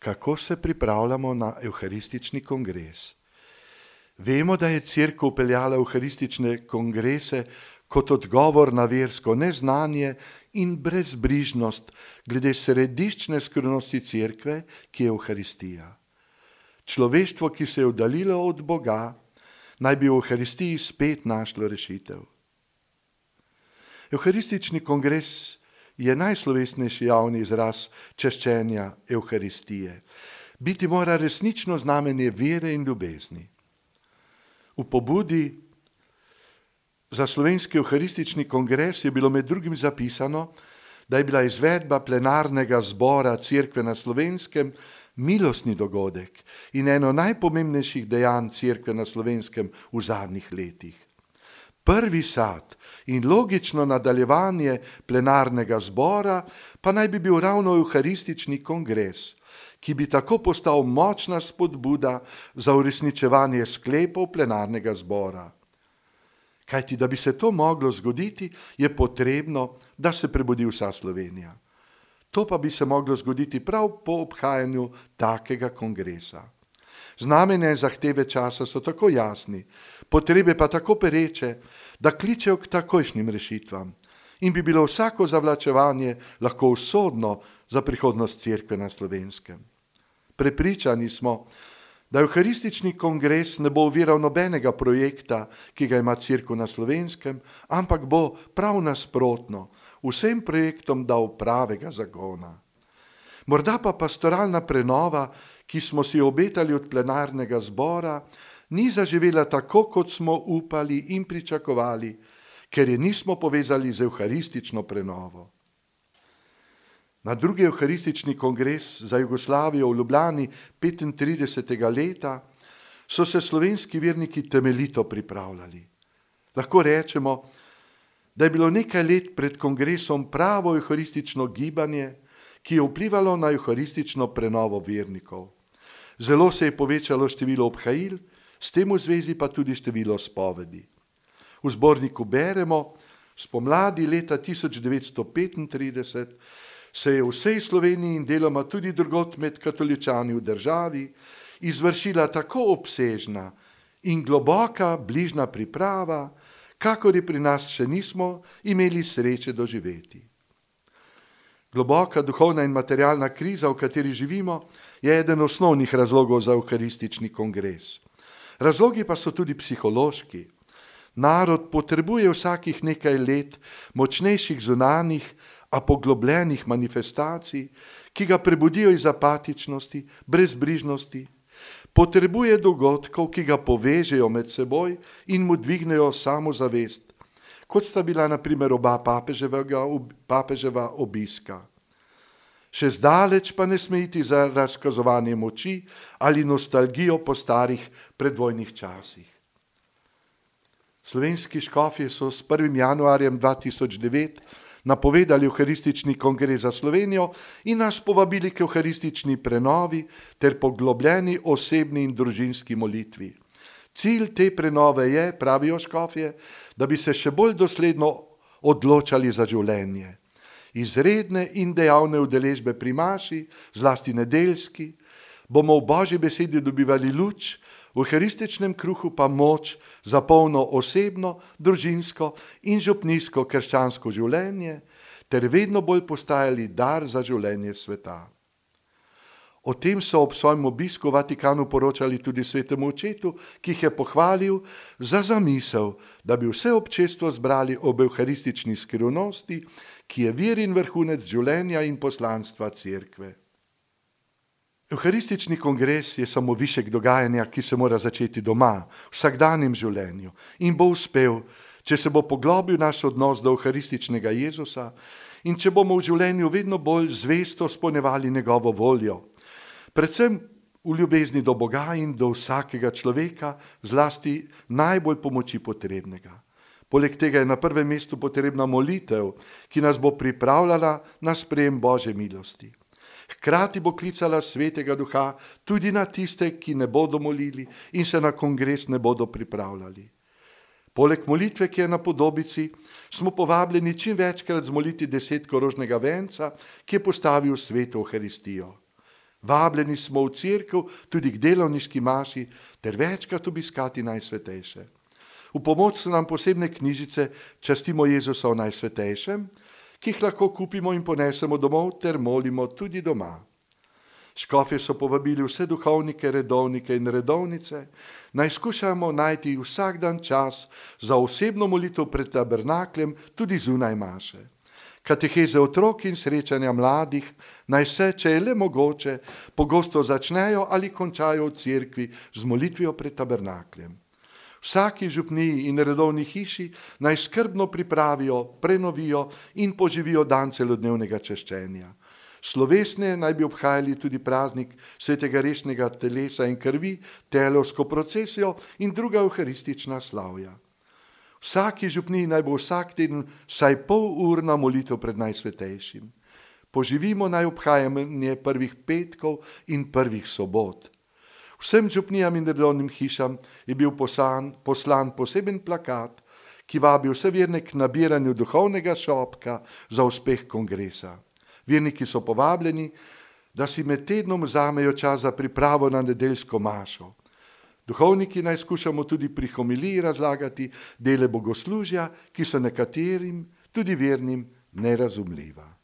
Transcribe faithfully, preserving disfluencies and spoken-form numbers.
kako se pripravljamo na evharistični kongres. Vemo, da je Cerkev peljala evharistične kongrese kot odgovor na versko neznanje in brezbrižnost glede središčne skrivnosti Cerkve, ki je evharistija. Človeštvo, ki se je oddaljilo od Boga, naj bi v evharistiji spet našlo rešitev. Evharistični kongres je najslovesnejši javni izraz čaščenja evharistije. Biti mora resnično znamenje vere in ljubezni. V pobudi za slovenski evharistični kongres je bilo med drugim zapisano, da je bila izvedba plenarnega zbora Cerkve na Slovenskem milostni dogodek in eno najpomembnejših dejanj Cerkve na Slovenskem v zadnjih letih. Prvi sad in logično nadaljevanje plenarnega zbora pa naj bi bil ravno evharistični kongres, ki bi tako postal močna spodbuda za uresničevanje sklepov plenarnega zbora. Kajti, da bi se to moglo zgoditi, je potrebno, da se prebudi vsa Slovenija. To pa bi se moglo zgoditi prav po obhajanju takega kongresa. Znamenja in zahteve časa so tako jasni, potrebe pa tako pereče, da kličejo k takojšnjim rešitvam in bi bilo vsako zavlačevanje lahko usodno za prihodnost Cerkve na Slovenskem. Prepričani smo, da evharistični kongres ne bo oviral nobenega projekta, ki ga ima Cerkev na Slovenskem, ampak bo prav nasprotno vsem projektom dal pravega zagona. Morda pa pastoralna prenova, ki smo si obetali od plenarnega zbora, ni zaživela tako, kot smo upali in pričakovali, ker je nismo povezali z evharistično prenovo. Na drugi evharistični kongres za Jugoslavijo v Ljubljani petintridesetega leta so se slovenski verniki temeljito pripravljali. Lahko rečemo, da je bilo nekaj let pred kongresom pravo evharistično gibanje, ki je vplivalo na evharistično prenovo vernikov. Zelo se je povečalo število obhajil, s tem v zvezi pa tudi število spovedi. V zborniku beremo, spomladi leta tisoč devetsto petintrideset se je v vsej Sloveniji in deloma tudi drugod med katoličani v državi izvršila tako obsežna in globoka bližnja priprava, kakor je pri nas še nismo imeli sreče doživeti. Globoka duhovna in materialna kriza, v kateri živimo, je eden osnovnih razlogov za evharistični kongres. Razlogi pa so tudi psihološki. Narod potrebuje vsakih nekaj let močnejših zunanjih, a poglobljenih manifestacij, ki ga prebudijo iz apatičnosti, brezbrižnosti. Potrebuje dogodkov, ki ga povežejo med seboj in mu dvignejo samozavest, kot sta bila na primer oba papeževa obiska. Še zdaleč pa ne sme iti za razkazovanje moči ali nostalgijo po starih predvojnih časih. Slovenski škofje so s prvim januarjem dva tisoč devet napovedali evharistični kongres za Slovenijo in nas povabili k evharistični prenovi ter poglobljeni osebni in družinski molitvi. Cilj te prenove je, pravijo škofje, da bi se še bolj dosledno odločali za življenje. Izredne in dejavne udeležbe pri maši, zlasti nedeljski, bomo v Božji besedi dobivali luč, v evharističnem kruhu pa moč za polno osebno, družinsko in župnijsko krščansko življenje, ter vedno bolj postajali dar za življenje sveta. O tem so ob svojem obisku v Vatikanu poročali tudi svetemu očetu, ki jih je pohvalil za zamisel, da bi vse občestvo zbrali ob evharistični skrivnosti, ki je vir in vrhunec življenja in poslanstva Cerkve. Evharistični kongres je samo višek dogajanja, ki se mora začeti doma, v vsakdanjem življenju in bo uspel, če se bo poglobil naš odnos do evharističnega Jezusa in če bomo v življenju vedno bolj zvesto izpolnjevali njegovo voljo, predvsem v ljubezni do Boga in do vsakega človeka, zlasti najbolj pomoči potrebnega. Poleg tega je na prvem mestu potrebna molitev, ki nas bo pripravljala na sprejem Božje milosti. Hkrati bo klicala Svetega Duha tudi na tiste, ki ne bodo molili in se na kongres ne bodo pripravljali. Poleg molitve, ki je na podobici, smo povabljeni čim večkrat zmoliti desetko rožnega venca, ki je postavil sveto Evharistijo. Vabljeni smo v cerkev tudi k delovniški maši ter večkrat obiskati Najsvetejše. V pomoč so nam posebne knjižice Častimo Jezusa v Najsvetejšem, ki jih lahko kupimo in ponesemo domov ter molimo tudi doma. Škofje so povabili vse duhovnike, redovnike in redovnice, naj skušamo najti vsak dan čas za osebno molitev pred tabernakljem tudi zunaj maše. Kateheze otrok in srečanja mladih naj se, če je le mogoče, pogosto začnejo ali končajo v cerkvi z molitvijo pred tabernakljem. Vsaki župniji in redovni hiši naj skrbno pripravijo, prenovijo in poživijo dan celodnevnega češčenja. Slovesne naj bi obhajali tudi praznik svetega rešnega telesa in krvi, telovsko procesijo in druga evharistična slavja. Vsaki župniji naj bo vsak teden vsaj pol urna molitev pred Najsvetejšim. Poživimo naj obhajanje prvih petkov in prvih sobot. Vsem župnijam in redovnim hišam je bil poslan, poslan poseben plakat, ki vabi vse verne k nabiranju duhovnega šopka za uspeh kongresa. Verniki so povabljeni, da si med tednom vzamejo čas za pripravo na nedeljsko mašo. Duhovniki naj skušamo tudi pri homiliji razlagati dele bogoslužja, ki so nekaterim, tudi vernim, nerazumljiva.